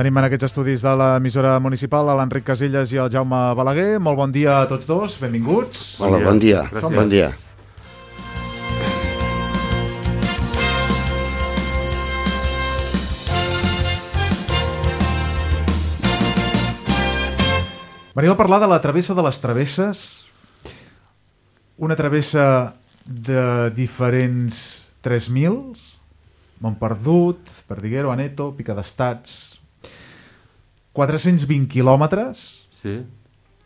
Tenim en aquests estudis de l'emissora municipal l'Enric Casellas i el Jaume Balaguer. Molt bon dia a tots dos, benvinguts. Hola, bon dia. Bon dia. Venim a parlar de la travessa de les travesses, una travessa de diferents 3.000, Montperdut, Perdiguero, Aneto, Pica d'Estats, 420 quilòmetres, sí.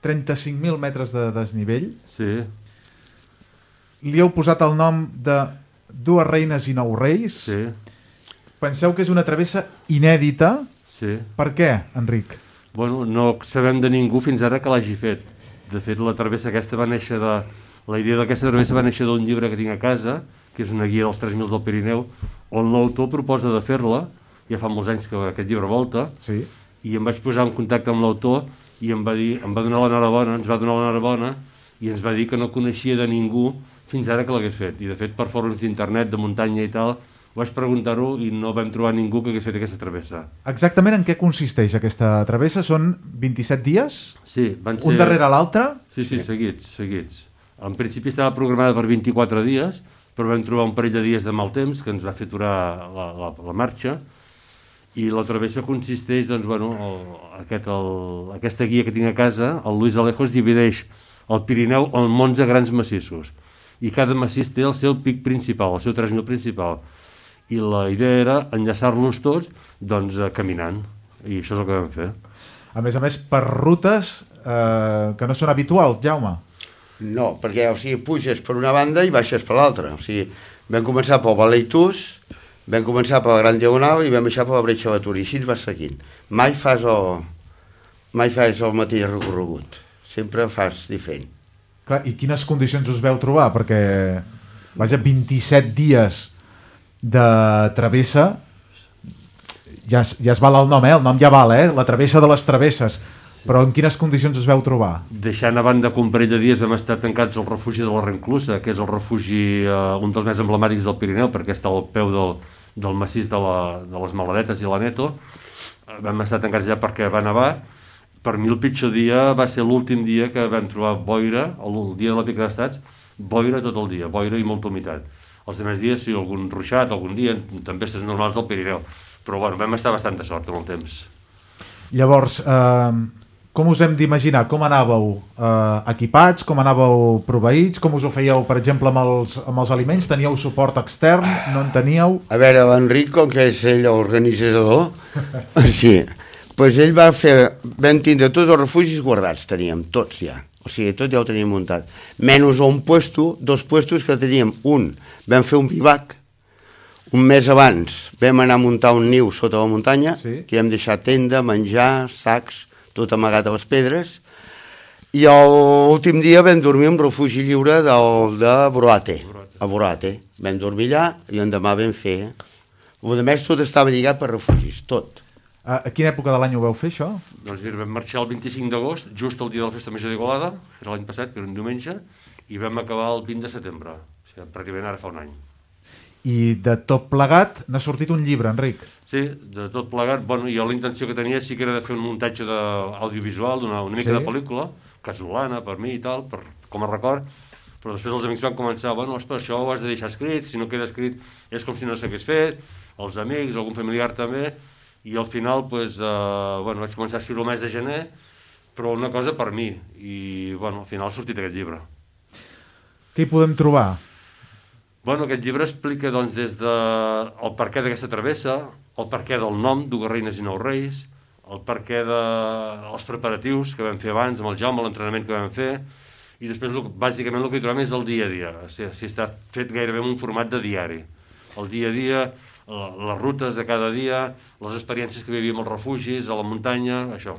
35.000 metres de desnivell. Sí. Li heu posat el nom de Dues Reines i 9 Reis. Sí. Penseu que és una travessa inèdita. Sí. Per què, Enric? Bueno, no sabem de ningú fins ara que l'hagi fet. De fet, la travessa aquesta va néixer de... La idea d'aquesta travessa va néixer d'un llibre que tinc a casa, que és una guia dels 3.000 del Pirineu, on l'autor proposa de fer-la, ja fa molts anys que aquest llibre volta, sí. I em vaig posar en contacte amb l'autor i em va donar l'enhorabona, ens va donar l'enhorabona i ens va dir que no coneixia de ningú fins ara que l'hagués fet. I de fet, per fòrums d'internet, de muntanya i tal, vaig preguntar-ho i no vam trobar ningú que hagués fet aquesta travessa. Exactament en què consisteix aquesta travessa? Són 27 dies? Sí, van ser... Un darrere l'altre? Sí, seguits. En principi estava programada per 24 dies, però vam trobar un parell de dies de mal temps que ens va fer aturar la marxa, i la travessa consisteix, doncs, bueno, aquesta guia que tinc a casa, el Luis Alejos divideix el Pirineu en 11 grans massissos, i cada massís té el seu pic principal, el seu 3.000 principal, i la idea era enllaçar-los tots, doncs, caminant, i això és el que vam fer. A més, per rutes que no són habituals, Jaume. No, perquè puges per una banda i baixes per l'altra. Vam començar pel Baleitús, vam començar per la Gran Diagonal i vam baixar per la Bretxa de Tur, i així vas seguint. Mai fas el mateix recorregut, sempre fas diferent. Clar, i quines condicions us veu trobar? Perquè, vaja, 27 dies de travessa, ja es val el nom, el nom ja val, la travessa de les travesses. Però en quines condicions us veu trobar? Deixant a banda que un parell de dies vam estar tancats al refugi de la Renclusa, que és el refugi, un dels més emblemàtics del Pirineu, perquè està al peu del massís de les Maladetes i l'Aneto. Vam estar tancats allà perquè va nevar. Per mi el pitjor dia va ser l'últim dia que vam trobar boira, el dia de la Pica d'Estats, boira tot el dia, boira i molta humitat. Els altres dies, sí, algun ruixat, algun dia, tempestes normals del Pirineu. Però bueno, vam estar bastant de sort amb el temps. Llavors, com us hem d'imaginar? Com anàveu equipats? Com anàveu proveïts? Com us ho fèieu, per exemple, amb els aliments? Teníeu suport extern? No en teníeu? A veure, l'Enric, com que és ell l'organitzador, sí, doncs ell vam tindre tots els refugis guardats, teníem tots ja. O sigui, tot ja ho teníem muntat. Menys dos puestos que teníem. Vam fer un bivac, un mes abans vam anar a muntar un niu sota la muntanya, sí. Que vam deixar tenda, menjar, sacs, tot amagat a les pedres, i l'últim dia vam dormir en refugi lliure de Boroate, a Boroate. Vam dormir allà i l'endemà vam fer. A més, tot estava lligat per refugis, tot. A quina època de l'any ho vau fer, això? Doncs mira, vam marxar el 25 d'agost, just el dia de la Festa Major d'Igualada, era l'any passat, que era un diumenge, i vam acabar el 20 de setembre, o sigui, pràcticament ara fa un any. I de tot plegat n'ha sortit un llibre, Enric. Sí, de tot plegat. Bueno, jo la intenció que tenia sí que era de fer un muntatge audiovisual, una mica de pel·lícula, casolana per mi i tal, com a record, però després els amics van començar, bueno, això ho has de deixar escrit, si no queda escrit és com si no s'hagués fet, els amics, algun familiar també, i al final vaig començar a escriure el mes de gener, però una cosa per mi, i al final ha sortit aquest llibre. Què hi podem trobar? Aquest llibre explica des del perquè d'aquesta travessa, el perquè del nom, Dues Reines i 9 Reis, el perquè dels preparatius que vam fer abans amb el Jaume, l'entrenament que vam fer, i després bàsicament el que hi trobem és el dia a dia. O sigui, està fet gairebé en un format de diari. El dia a dia, les rutes de cada dia, les experiències que vivíem als refugis, a la muntanya, això.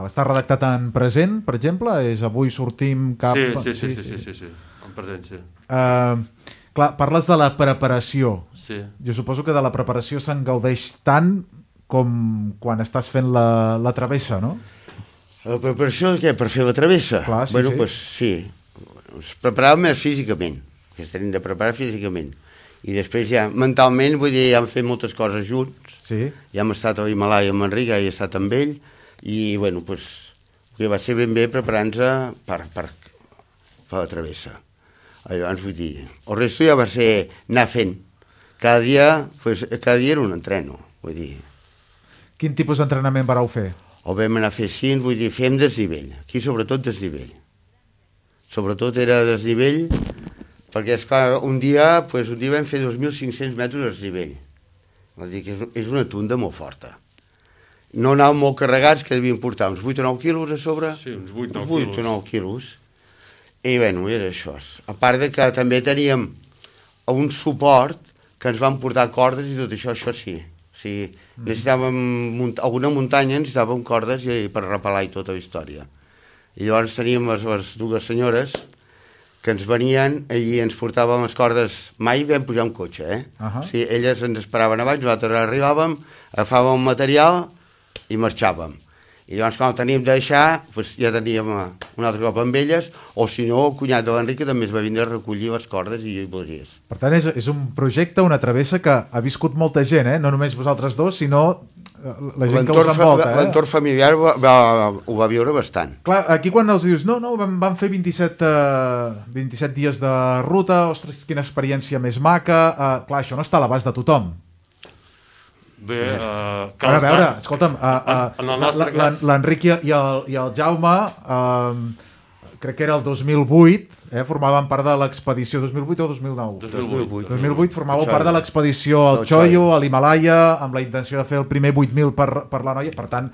Està redactat en present, per exemple? És avui sortim cap... Sí, en present, sí. Clar, parles de la preparació. Sí. Jo suposo que de la preparació se'n gaudeix tant com quan estàs fent la travessa, no? La preparació de què? Per fer la travessa? Clar, sí. Ens preparàvem més físicament, que ens tenim de preparar físicament. I després ja, mentalment, vull dir, ja hem fet moltes coses junts. Sí. Ja hem estat a l'Himalaya amb Enric, ja he estat amb ell, i, bueno, doncs, que va ser ben bé preparant-se per la travessa. Llavors, vull dir, el resto ja va ser anar fent. Cada dia era un entreno, vull dir. Quin tipus d'entrenament vareu fer? O vam anar a fer cinc, vull dir, fem desnivell. Aquí, sobretot, desnivell. Sobretot era desnivell, perquè, esclar, un dia vam fer 2.500 metres de desnivell. Vol dir que és una tunda molt forta. No anàvem molt carregats, que devien portar uns 8 o 9 quilos a sobre. Sí, uns 8 o 9 quilos. I, bueno, era això. A part de que també teníem un suport que ens van portar cordes i tot això sí. O sigui, necessitàvem alguna muntanya, necessitàvem cordes per repelar i tota la història. I llavors teníem les dues senyores que ens venien i ens portàvem les cordes. Mai vam pujar un cotxe, O sigui, elles ens esperaven abans, nosaltres arribàvem, agafàvem el material i marxàvem. I llavors, quan el teníem de deixar, ja teníem un altre cop amb elles, o si no, el cunyat de l'Enric també es va vindre a recollir les cordes i bolies. Per tant, és un projecte, una travessa que ha viscut molta gent, no només vosaltres dos, sinó la gent que us envolta. L'entorn familiar ho va viure bastant. Clar, aquí quan els dius, no, vam fer 27 dies de ruta, ostres, quina experiència més maca, clar, això no està a l'abast de tothom. Bé, a veure, escolta'm, l'Enric i el Jaume, crec que era el 2008, formaven part de l'expedició 2008 o 2009? 2008 formàveu part de l'expedició al Choyo, a l'Himalaya, amb la intenció de fer el primer 8.000 per la noia. Per tant,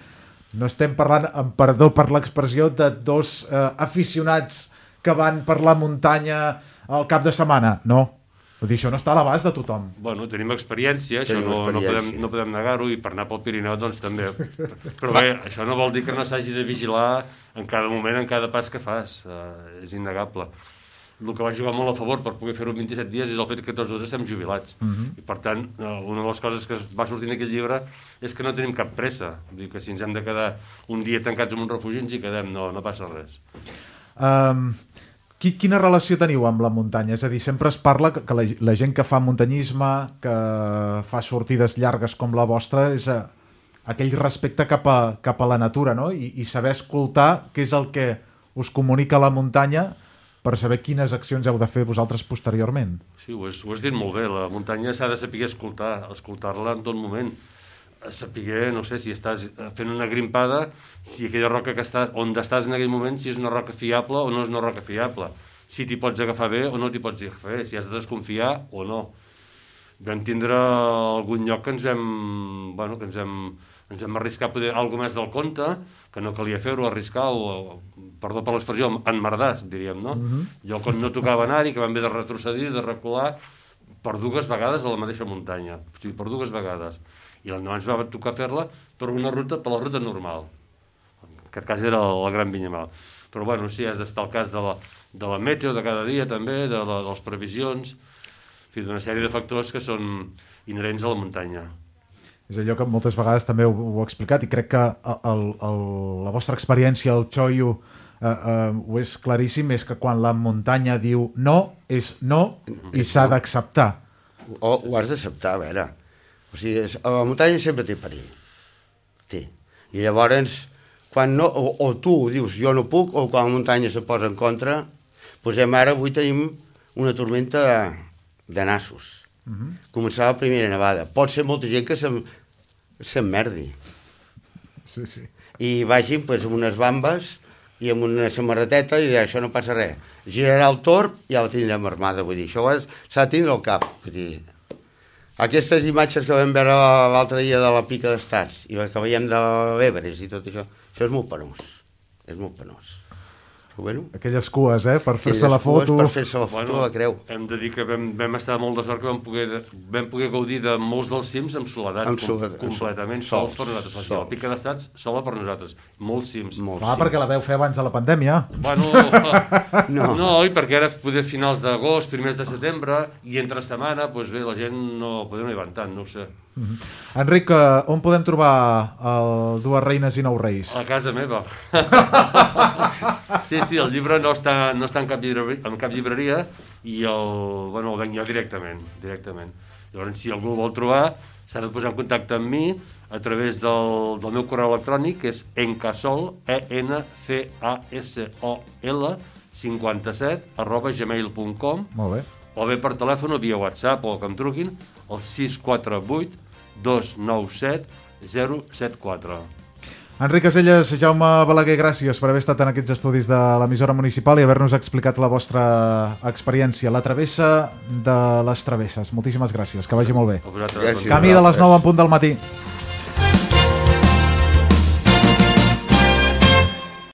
no estem parlant, amb perdó per l'expressió, de dos aficionats que van per la muntanya al cap de setmana. No. Vull dir, això no està a l'abast de tothom. Bueno, tenim experiència, això no podem negar-ho, i per anar pel Pirineu doncs també. Però bé, això no vol dir que no s'hagi de vigilar en cada moment, en cada pas que fas. És innegable. El que va jugar molt a favor per poder fer-ho en 27 dies és el fet que tots dos estem jubilats. I per tant, una de les coses que va sortir en aquest llibre és que no tenim cap pressa. Vull dir que si ens hem de quedar un dia tancats en un refugi ens hi quedem, no passa res. Quina relació teniu amb la muntanya? És a dir, sempre es parla que la gent que fa muntanyisme, que fa sortides llargues com la vostra, és aquell respecte cap a la natura, no? I saber escoltar què és el que us comunica la muntanya per saber quines accions heu de fer vosaltres posteriorment. Sí, ho has dit molt bé. La muntanya s'ha de saber escoltar-la en tot moment. Saber, no sé, si estàs fent una grimpada, si aquella roca on estàs en aquell moment, si és una roca fiable o no és una roca fiable, si t'hi pots agafar bé o no t'hi pots agafar bé, si has de desconfiar o no. Vam tindre algun lloc que ens vam arriscar a poder alguna més del compte, que no calia fer-ho, arriscar, perdó per l'expressió, emmerdars, diríem, no? Jo quan no tocava anar-hi, que vam haver de retrocedir, de recular, per 2 vegades a la mateixa muntanya, o sigui, per 2 vegades. I l'endemà ens va tocar fer-la per la ruta normal. En aquest cas era la Gran Vinyamal. Però bueno, sí, has d'estar al cas de la meteo de cada dia també, de les previsions, en fi, d'una sèrie de factors que són inherents a la muntanya. És allò que moltes vegades també ho he explicat, i crec que la vostra experiència al Choyo ho és claríssim, és que quan la muntanya diu no, és no, i s'ha d'acceptar. Ho has d'acceptar, a veure. O sigui, la muntanya sempre té perill. Té. I llavors, quan no, o tu dius jo no puc, o quan la muntanya se posa en contra, posem ara, avui tenim una tormenta de nassos. Començava la primera nevada. Pot ser molta gent que s'emmerdi. Sí, sí. I vagin amb unes bambes i amb una samarreteta i això no passa res. Girarà el torb i ja la tindrem armada. Vull dir, això s'ha de tindre al cap. Vull dir, aquestes imatges que vam veure l'altre dia de la Pica d'Estats i que veiem de l'Everest i tot això és molt penós. És molt penós. Bueno, aquelles cues, per fer-se la foto. Per fer-se la foto, la creu. Hem de dir que vam estar molt de sort que vam poder gaudir de molts dels cims amb soledat, completament sols per nosaltres. La Pica d'Estats sola per nosaltres, molts cims. Perquè la veu fer abans de la pandèmia. Bueno, no, i perquè era poder finals d'agost, primers de setembre, i entre setmana, doncs bé, la gent no hi van tant, no ho sé. Enric, on podem trobar el Dues Reines i Nou Reis? A casa meva. Sí, Sí, el llibre no està en cap llibreria i el venc jo directament. Llavors, si algú el vol trobar, s'ha de posar en contacte amb mi a través del meu correu electrònic, que és encasol, ENCASOL 57 Molt bé. o bé per telèfon o via WhatsApp o que em truquin al 648 297 074. Enric Caselles, Jaume Balaguer, gràcies per haver estat en aquests estudis de l'emissora municipal i haver-nos explicat la vostra experiència, la travessa de les travesses. Moltíssimes gràcies, que vagi molt bé. A vosaltres. Camí de les 9 en punt del matí.